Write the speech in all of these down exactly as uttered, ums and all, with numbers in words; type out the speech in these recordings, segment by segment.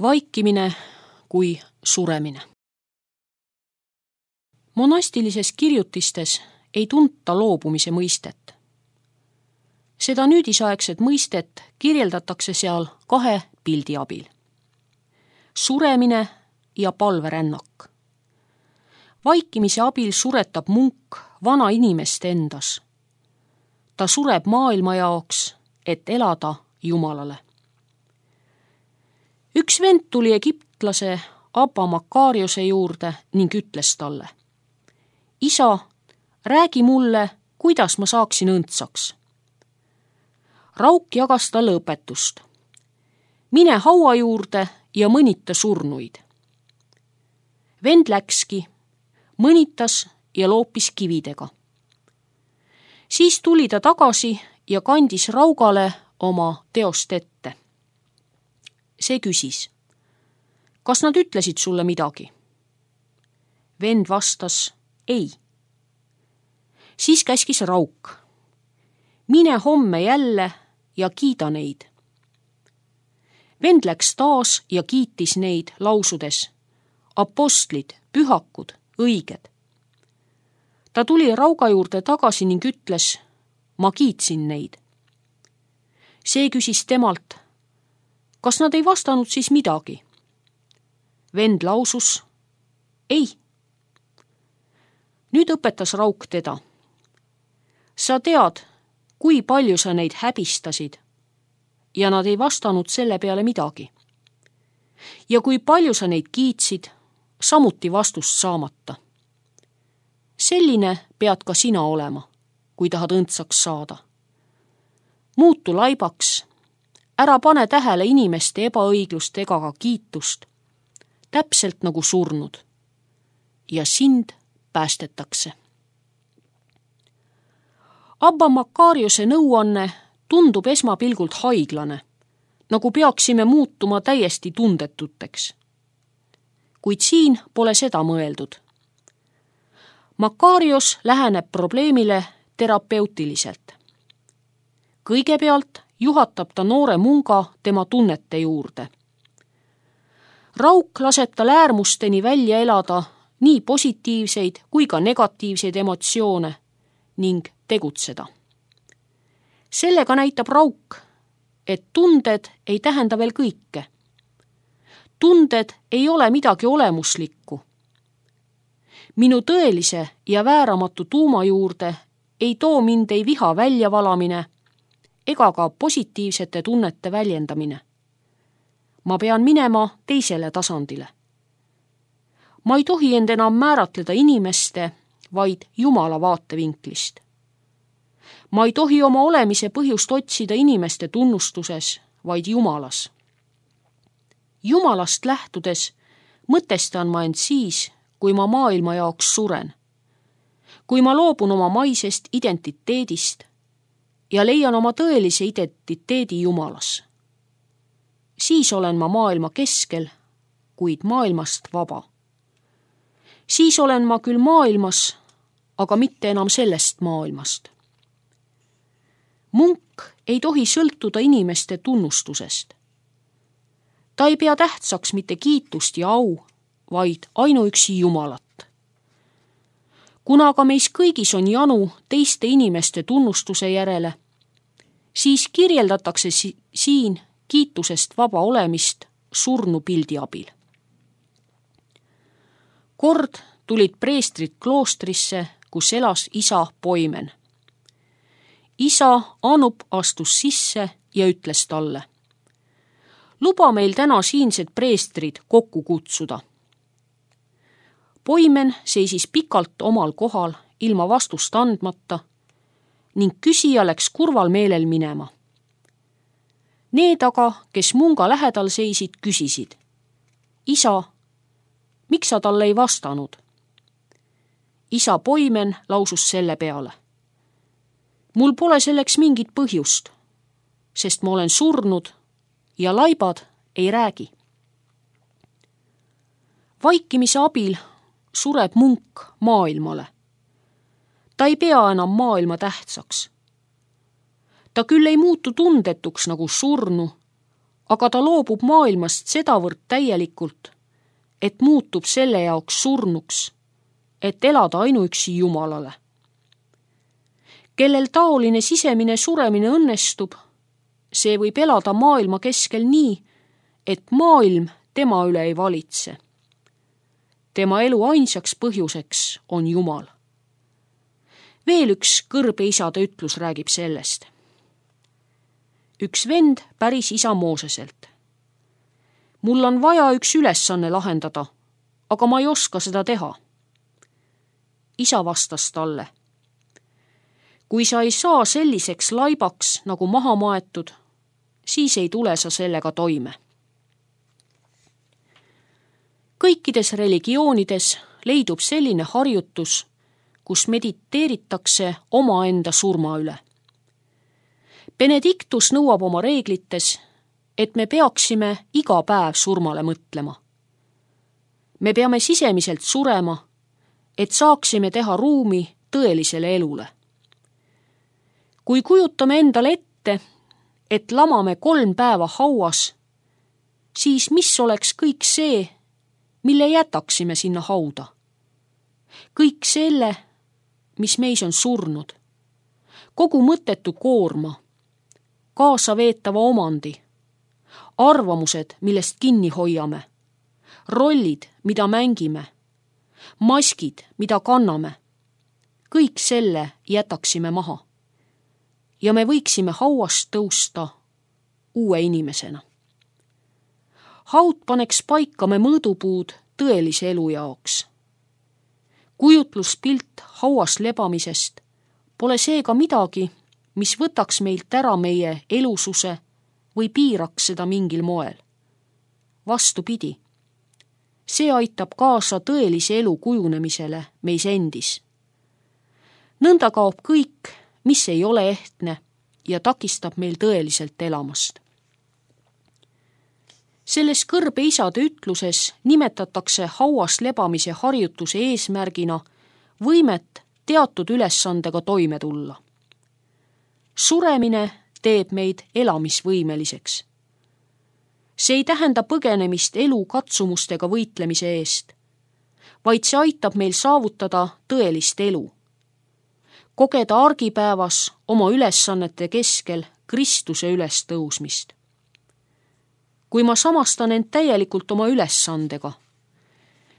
Vaikimine kui suremine. Monastilises kirjutistes ei tunta loobumise mõistet. Seda nüüdisaegset mõistet kirjeldatakse seal kahe pildi abil. Suremine ja palverännak. Vaikimise abil suretab munk vana inimest endas. Ta sureb maailma jaoks, et elada Jumalale. Üks vend tuli egiptlase Abba Makariose juurde ning ütles talle: Isa, räägi mulle, kuidas ma saaksin õndsaks. Rauk jagas talle õpetust. Mine haua juurde ja mõnita surnuid. Vend läkski, mõnitas ja loopis kividega. Siis tuli ta tagasi ja kandis Raugale oma teost ette. See küsis: kas nad ütlesid sulle midagi? Vend vastas: ei. Siis käskis Rauk: mine homme jälle ja kiida neid. Vend läks taas ja kiitis neid lausudes: apostlid, pühakud, õiged. Ta tuli Rauga juurde tagasi ning ütles: ma kiitsin neid. See küsis temalt: kas nad ei vastanud siis midagi? Vend lausus: ei. Nüüd õpetas Rauk teda: sa tead, kui palju sa neid häbistasid ja nad ei vastanud selle peale midagi. Ja kui palju sa neid kiitsid, samuti vastust saamata. Selline pead ka sina olema, kui tahad õndsaks saada. Muutu laibaks, ära pane tähele inimeste ebaõiglust ega ka kiitust, täpselt nagu surnud, ja sind päästetakse. Abba Makariose nõuanne tundub esmapilgult haiglane, nagu peaksime muutuma täiesti tundetuteks. Kuid siin pole seda mõeldud. Makarios läheneb probleemile terapeutiliselt. Kõigepealt juhatab ta noore munga tema tunnete juurde. Rauk laseb tal äärmusteni välja elada nii positiivseid kui ka negatiivseid emotsioone ning tegutseda. Sellega näitab Rauk, et tunded ei tähenda veel kõike. Tunded ei ole midagi olemuslikku. Minu tõelise ja vääramatu tuuma juurde ei too mind ei viha väljavalamine ega ka positiivsete tunnete väljendamine. Ma pean minema teisele tasandile. Ma ei tohi end enam määratleda inimeste, vaid Jumala vaatevinklist. Ma ei tohi oma olemise põhjust otsida inimeste tunnustuses, vaid Jumalas. Jumalast lähtudes mõtestan ma end siis, kui ma maailma jaoks suren. Kui ma loobun oma maisest identiteedist ja leian oma tõelise identiteedi Jumalas. Siis olen ma maailma keskel, kuid maailmast vaba. Siis olen ma küll maailmas, aga mitte enam sellest maailmast. Munk ei tohi sõltuda inimeste tunnustusest. Ta ei pea tähtsaks mitte kiitust ja au, vaid ainuüksi Jumalat. Kuna aga meis kõigis on janu teiste inimeste tunnustuse järele, siis kirjeldatakse si- siin kiitusest vaba olemist surnu pildi abil. Kord tulid preestrid kloostrisse, kus elas isa Poimen. Isa Anup astus sisse ja ütles talle: luba meil täna siinsed preestrid kokku kutsuda. Poimen seisis pikalt omal kohal ilma vastust andmata ning küsija läks kurval meelel minema. Need aga, kes munga lähedal seisid, küsisid: isa, miks sa talle ei vastanud? Isa Poimen lausus selle peale: mul pole selleks mingit põhjust, sest ma olen surnud ja laibad ei räägi. Vaikimise abil sureb munk maailmale. Ta ei pea enam maailma tähtsaks. Ta küll ei muutu tundetuks nagu surnu, aga ta loobub maailmast sedavõrd täielikult, et muutub selle jaoks surnuks, et elada ainuüksi Jumalale. Kellel taoline sisemine suremine õnnestub, see võib elada maailma keskel nii, et maailm tema üle ei valitse. Tema elu ainsaks põhjuseks on Jumal. Veel üks kõrbe isade ütlus räägib sellest. Üks vend päris isa Mooseselt. Mul on vaja üks ülesanne lahendada, aga ma ei oska seda teha. Isa vastas talle. Kui sa ei saa selliseks laibaks nagu maha maetud, siis ei tule sa sellega toime. Kõikides religioonides leidub selline harjutus, kus mediteeritakse omaenda surma üle. Benedictus nõuab oma reeglites, et me peaksime iga päev surmale mõtlema. Me peame sisemiselt surema, et saaksime teha ruumi tõelisele elule. Kui kujutame endale ette, et lamame kolm päeva hauas, siis mis oleks kõik see, mille jätaksime sinna hauda? Kõik selle, mis meis on surnud, kogu mõttetu koorma, kaasa veetava omandi, arvamused, millest kinni hoiame, rollid, mida mängime, maskid, mida kanname, kõik selle jätaksime maha. Ja me võiksime hauast tõusta uue inimesena. Haud paneks paika me mõõdupuud tõelise elu jaoks. Kujutluspilt hauas lebamisest pole seega midagi, mis võtaks meilt ära meie elususe või piiraks seda mingil moel. Vastupidi, see aitab kaasa tõelise elu kujunemisele meis endis. Nõnda kaob kõik, mis ei ole ehtne ja takistab meil tõeliselt elamast. Selles kõrbe isade ütluses nimetatakse hauas lebamise harjutuse eesmärgina võimet teatud ülesandega toime tulla. Suremine teeb meid elamisvõimeliseks. See ei tähenda põgenemist elu katsumustega võitlemise eest, vaid see aitab meil saavutada tõelist elu. Kogeda argipäevas oma ülesannete keskel Kristuse üles tõusmist. Kui ma samastan end täielikult oma ülesandega,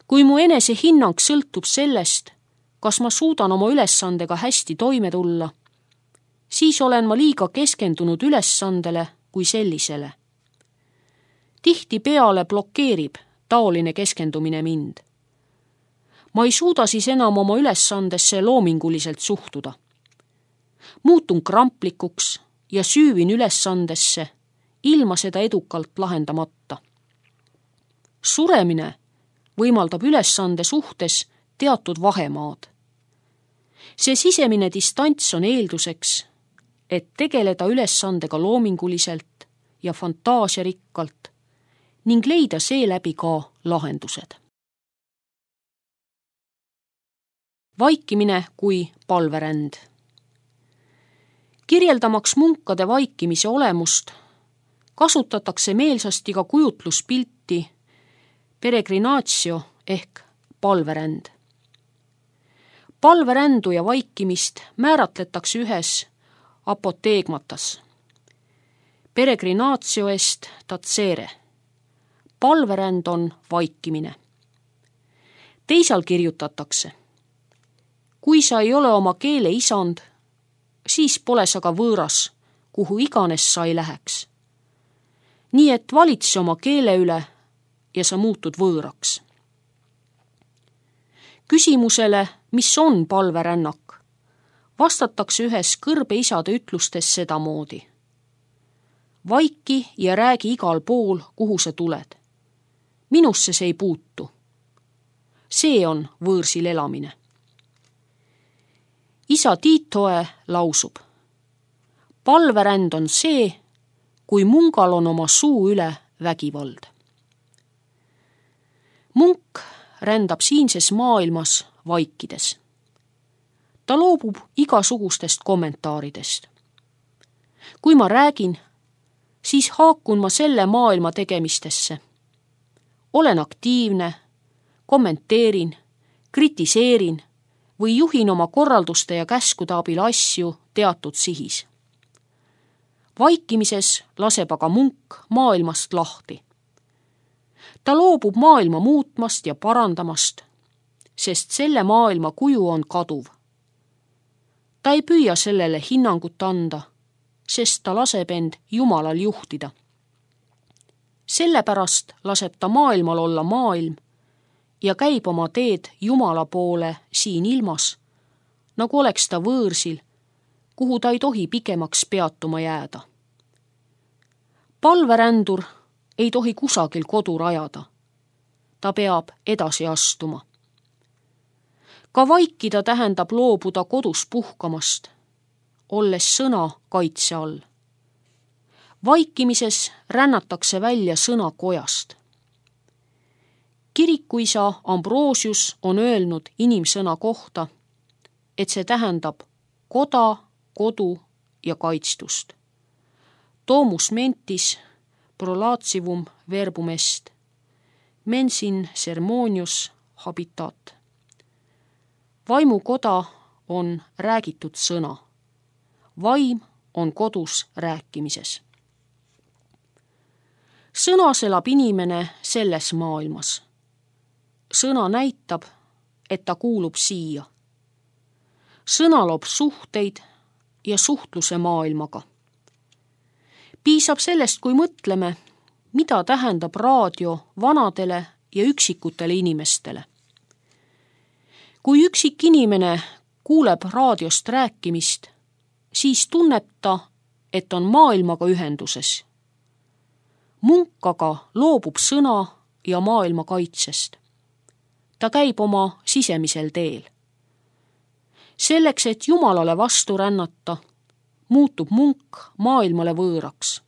kui mu enese hinnang sõltub sellest, kas ma suudan oma ülesandega hästi toime tulla, siis olen ma liiga keskendunud ülesandele kui sellisele. Tihtipeale blokeerib taoline keskendumine mind. Ma ei suuda siis enam oma ülesandesse loominguliselt suhtuda. Muutun kramplikuks ja süüvin ülesandesse, ilma seda edukalt lahendamata. Suremine võimaldab ülesande suhtes teatud vahemaad. See sisemine distants on eelduseks, et tegeleda ülesandega loominguliselt ja fantaasiarikkalt ning leida seeläbi ka lahendused. Vaikimine kui palveränd. Kirjeldamaks munkade vaikimise olemust kasutatakse meelsasti ka kujutluspilti peregrinatio ehk palveränd. Palverändu ja vaikimist määratletakse ühes apoteegmatas. Peregrinatio est tatsere. Palveränd on vaikimine. Teisal kirjutatakse. Kui sa ei ole oma keele isand, siis pole sa ka võõras, kuhu iganes sa ei läheks. Nii et valitse oma keele üle ja sa muutud võõraks. Küsimusele, mis on palverännak, vastatakse ühes kõrbe isade ütlustes sedamoodi. Vaiki ja räägi igal pool, kuhu sa tuled. Minusse see ei puutu. See on võõrsil elamine. Isa Tiitoe lausub. Palveränd on see, kui mungal on oma suu üle vägivald. Munk rändab siinses maailmas vaikides. Ta loobub igasugustest kommentaaridest. Kui ma räägin, siis haakun ma selle maailma tegemistesse. Olen aktiivne, kommenteerin, kritiseerin või juhin oma korralduste ja käskude abil asju teatud sihis. Vaikimises laseb aga munk maailmast lahti. Ta loobub maailma muutmast ja parandamast, sest selle maailma kuju on kaduv. Ta ei püüa sellele hinnangut anda, sest ta laseb end Jumalal juhtida. Sellepärast laseb ta maailmal olla maailm ja käib oma teed Jumala poole siin ilmas, nagu oleks ta võõrsil, kuhu ta ei tohi pikemaks peatuma jääda. Palverändur ei tohi kusagil kodu rajada. Ta peab edasi astuma. Ka vaikida tähendab loobuda kodus puhkamast, olles sõna kaitse all. Vaikimises rännatakse välja sõna kojast. Kirikuisa Ambrosius on öelnud inimsõna kohta, et see tähendab koda, kodu ja kaitstust. Domus mentis prolatsivum verbum est, mensin sermonius habitat. Vaimukoda on räägitud sõna. Vaim on kodus rääkimises. Sõnas elab inimene selles maailmas. Sõna näitab, et ta kuulub siia. Sõna loob suhteid ja suhtluse maailmaga. Piisab sellest, kui mõtleme, mida tähendab raadio vanadele ja üksikutele inimestele. Kui üksik inimene kuuleb raadiost rääkimist, siis tunneb ta, et on maailmaga ühenduses. Munk aga loobub sõna ja maailma kaitsest. Ta käib oma sisemisel teel. Selleks, et Jumalale vastu rännata, muutub munk maailmale võõraks.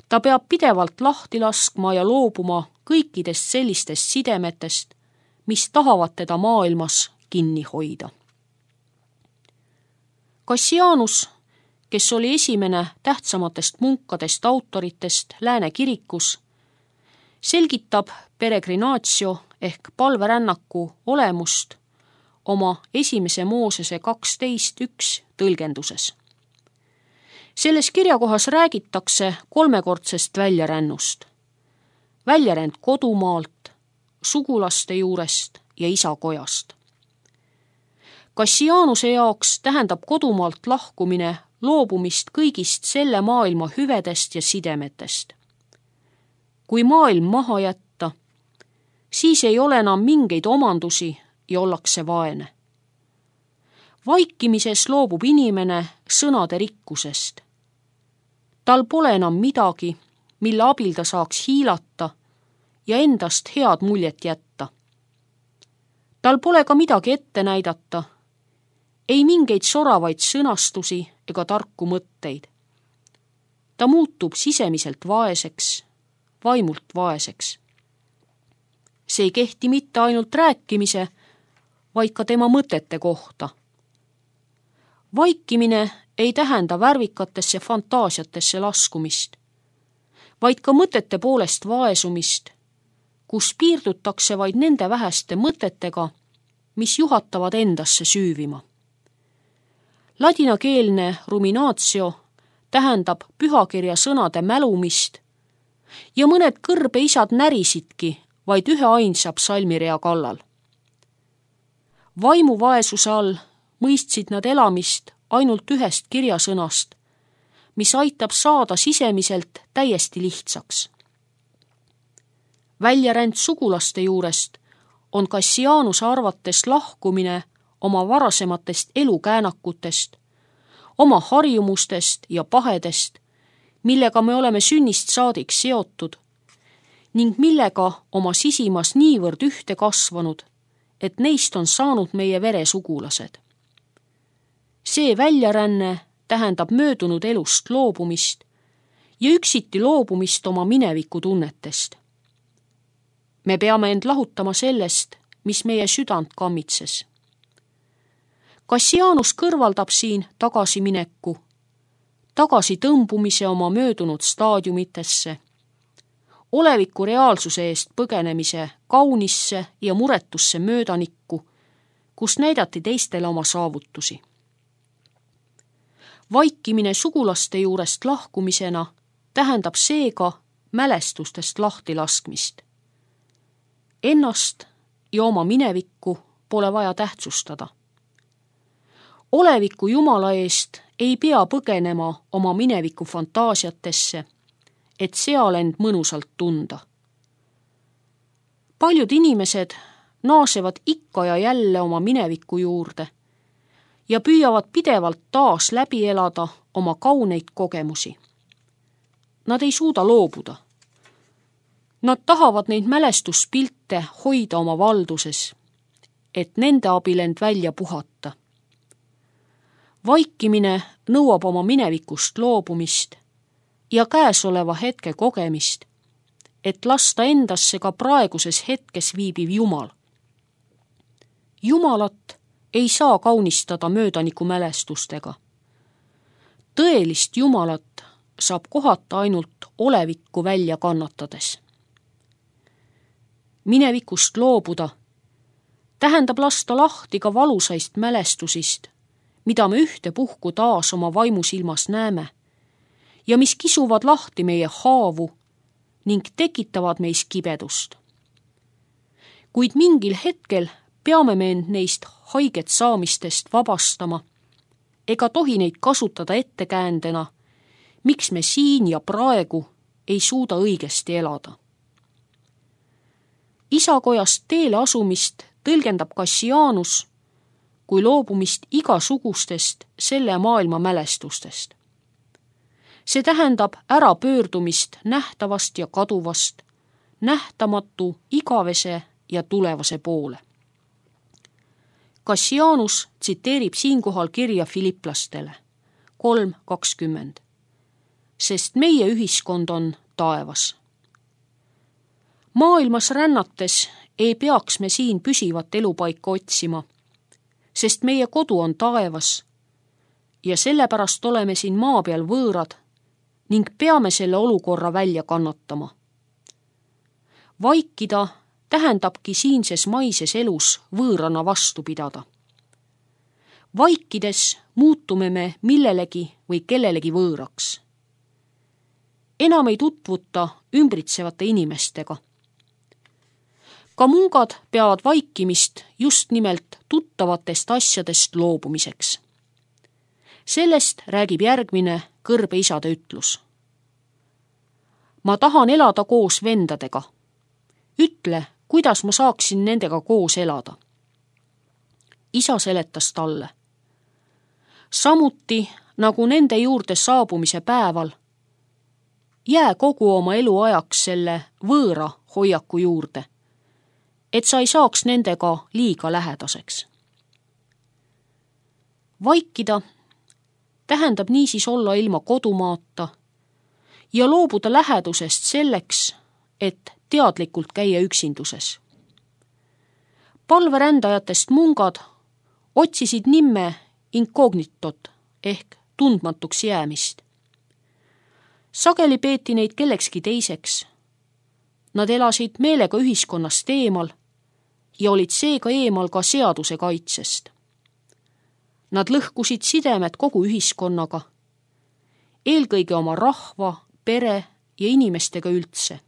Ta peab pidevalt lahti laskma ja loobuma kõikidest sellistest sidemetest, mis tahavad teda maailmas kinni hoida. Cassianus, kes oli esimene tähtsamatest munkadest autoritest Lääne kirikus, selgitab peregrinatio ehk palverännaku olemust oma esimese Moosese kaksteist üks tõlgenduses. Selles kirjakohas räägitakse kolmekordsest väljarännust. Väljaränd kodumaalt, sugulaste juurest ja isakojast. Cassianuse jaoks tähendab kodumaalt lahkumine loobumist kõigist selle maailma hüvedest ja sidemetest. Kui maailm maha jätta, siis ei ole enam mingeid omandusi ja ollakse vaene. Vaikimises loobub inimene sõnade rikkusest. Tal pole enam midagi, mille abil ta saaks hiilata ja endast head muljet jätta. Tal pole ka midagi ette näidata, ei mingeid soravaid sõnastusi ega tarku mõtteid. Ta muutub sisemiselt vaeseks, vaimult vaeseks. See ei kehti mitte ainult rääkimise, vaid ka tema mõtete kohta. Vaikimine ei tähenda värvikatesse fantaasiatesse laskumist, vaid ka mõtete poolest vaesumist, kus piirdutakse vaid nende väheste mõtetega, mis juhatavad endasse süüvima. Ladinakeelne ruminatio tähendab pühakirja sõnade mälumist ja mõned kõrbeisad närisidki vaid ühe ainsa psalmirea kallal. Vaimuvaesuse all mõistsid nad elamist ainult ühest kirjasõnast, mis aitab saada sisemiselt täiesti lihtsaks. Väljaränd sugulaste juurest on Cassianuse arvates lahkumine oma varasematest elukäänakutest, oma harjumustest ja pahedest, millega me oleme sünnist saadik seotud ning millega oma sisimas niivõrd ühte kasvanud, et neist on saanud meie veresugulased. See väljaränne tähendab möödunud elust loobumist ja üksiti loobumist oma mineviku tunnetest. Me peame end lahutama sellest, mis meie südant kammitses. Cassianus kõrvaldab siin tagasimineku, tagasi tõmbumise oma möödunud staadiumitesse, oleviku reaalsuse eest põgenemise kaunisse ja muretusse möödanikku, kus näidati teistele oma saavutusi. Vaikimine sugulaste juurest lahkumisena tähendab seega mälestustest lahti laskmist. Ennast ja oma minevikku pole vaja tähtsustada. Oleviku Jumala eest ei pea põgenema oma mineviku fantaasiatesse, et seal end mõnusalt tunda. Paljud inimesed naasevad ikka ja jälle oma mineviku juurde ja püüavad pidevalt taas läbi elada oma kauneid kogemusi. Nad ei suuda loobuda. Nad tahavad neid mälestuspilte hoida oma valduses, et nende abil end välja puhata. Vaikimine nõuab oma minevikust loobumist ja käesoleva hetke kogemist, et lasta endasse ka praeguses hetkes viibiv Jumal. Jumalat ei saa kaunistada möödaniku mälestustega. Tõelist Jumalat saab kohata ainult olevikku välja kannatades. Minevikust loobuda tähendab lasta lahti ka valusaist mälestusist, mida me ühtepuhku taas oma vaimusilmas näeme ja mis kisuvad lahti meie haavu ning tekitavad meis kibedust. Kuid mingil hetkel peame me end neist haiget saamistest vabastama ega tohi neid kasutada ettekäändena, miks me siin ja praegu ei suuda õigesti elada. Isakojast teele asumist tõlgendab Kassianus kui loobumist igasugustest selle maailma mälestustest. See tähendab ärapöördumist nähtavast ja kaduvast, nähtamatu, igavese ja tulevase poole. Kassianus tsiteerib siinkohal kirja Filiplastele kolm kakskümmend, sest meie ühiskond on taevas. Maailmas rännates ei peaks me siin püsivat elupaika otsima, sest meie kodu on taevas ja sellepärast oleme siin maa peal võõrad ning peame selle olukorra välja kannatama. Vaikida tähendabki siinses maises elus võõrana vastu pidada. Vaikides muutume me millelegi või kellelegi võõraks. Enam ei tutvuta ümbritsevate inimestega. Ka mungad peavad vaikimist just nimelt tuttavatest asjadest loobumiseks. Sellest räägib järgmine kõrbe isade ütlus. Ma tahan elada koos vendadega. Ütle, kuidas ma saaksin nendega koos elada. Isa seletas talle. Samuti nagu nende juurde saabumise päeval, jää kogu oma elu ajaks selle võõra hoiaku juurde, et sa ei saaks nendega liiga lähedaseks. Vaikida tähendab niisiis olla ilma kodumaata ja loobuda lähedusest selleks, et teadlikult käia üksinduses. Palverändajatest mungad otsisid nimme inkognitot ehk tundmatuks jäämist. Sageli peeti neid kellekski teiseks. Nad elasid meelega ühiskonnast eemal ja olid seega eemal ka seaduse kaitsest. Nad lõhkusid sidemed kogu ühiskonnaga, eelkõige oma rahva, pere ja inimestega üldse.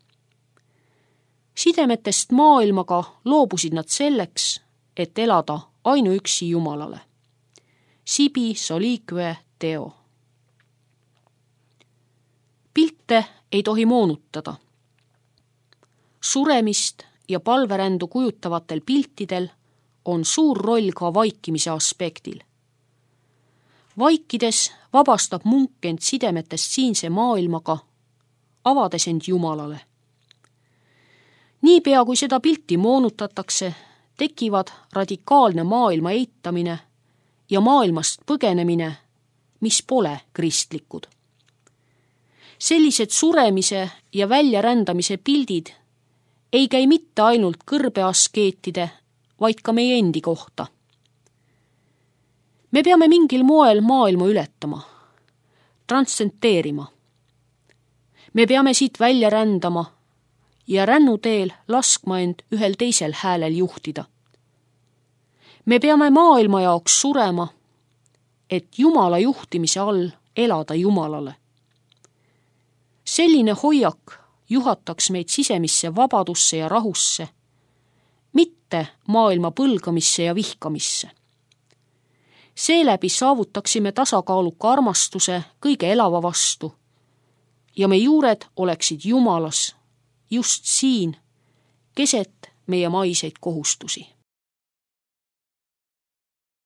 Sidemetest maailmaga loobusid nad selleks, et elada ainuüksi Jumalale. Sibi solique Deo. Pilte ei tohi moonutada. Suremist ja palverändu kujutavatel piltidel on suur roll ka vaikimise aspektil. Vaikides vabastab munk end sidemetest siinse maailmaga, avades end Jumalale. Niipea kui seda pilti moonutatakse, tekivad radikaalne maailma eitamine ja maailmast põgenemine, mis pole kristlikud. Sellised suremise ja väljarändamise pildid ei käi mitte ainult kõrbeaskeetide, vaid ka meie endi kohta. Me peame mingil moel maailma ületama. transcenteerima. Me peame siit välja rändama ja rännuteel laskma end ühel teisel häälel juhtida. Me peame maailma jaoks surema, et Jumala juhtimise all elada Jumalale. Selline hoiak juhataks meid sisemisse vabadusse ja rahusse, mitte maailma põlgamisse ja vihkamisse. Seeläbi saavutaksime tasakaaluka armastuse kõige elava vastu ja me juured oleksid Jumalas just siin, keset meie maiseid kohustusi.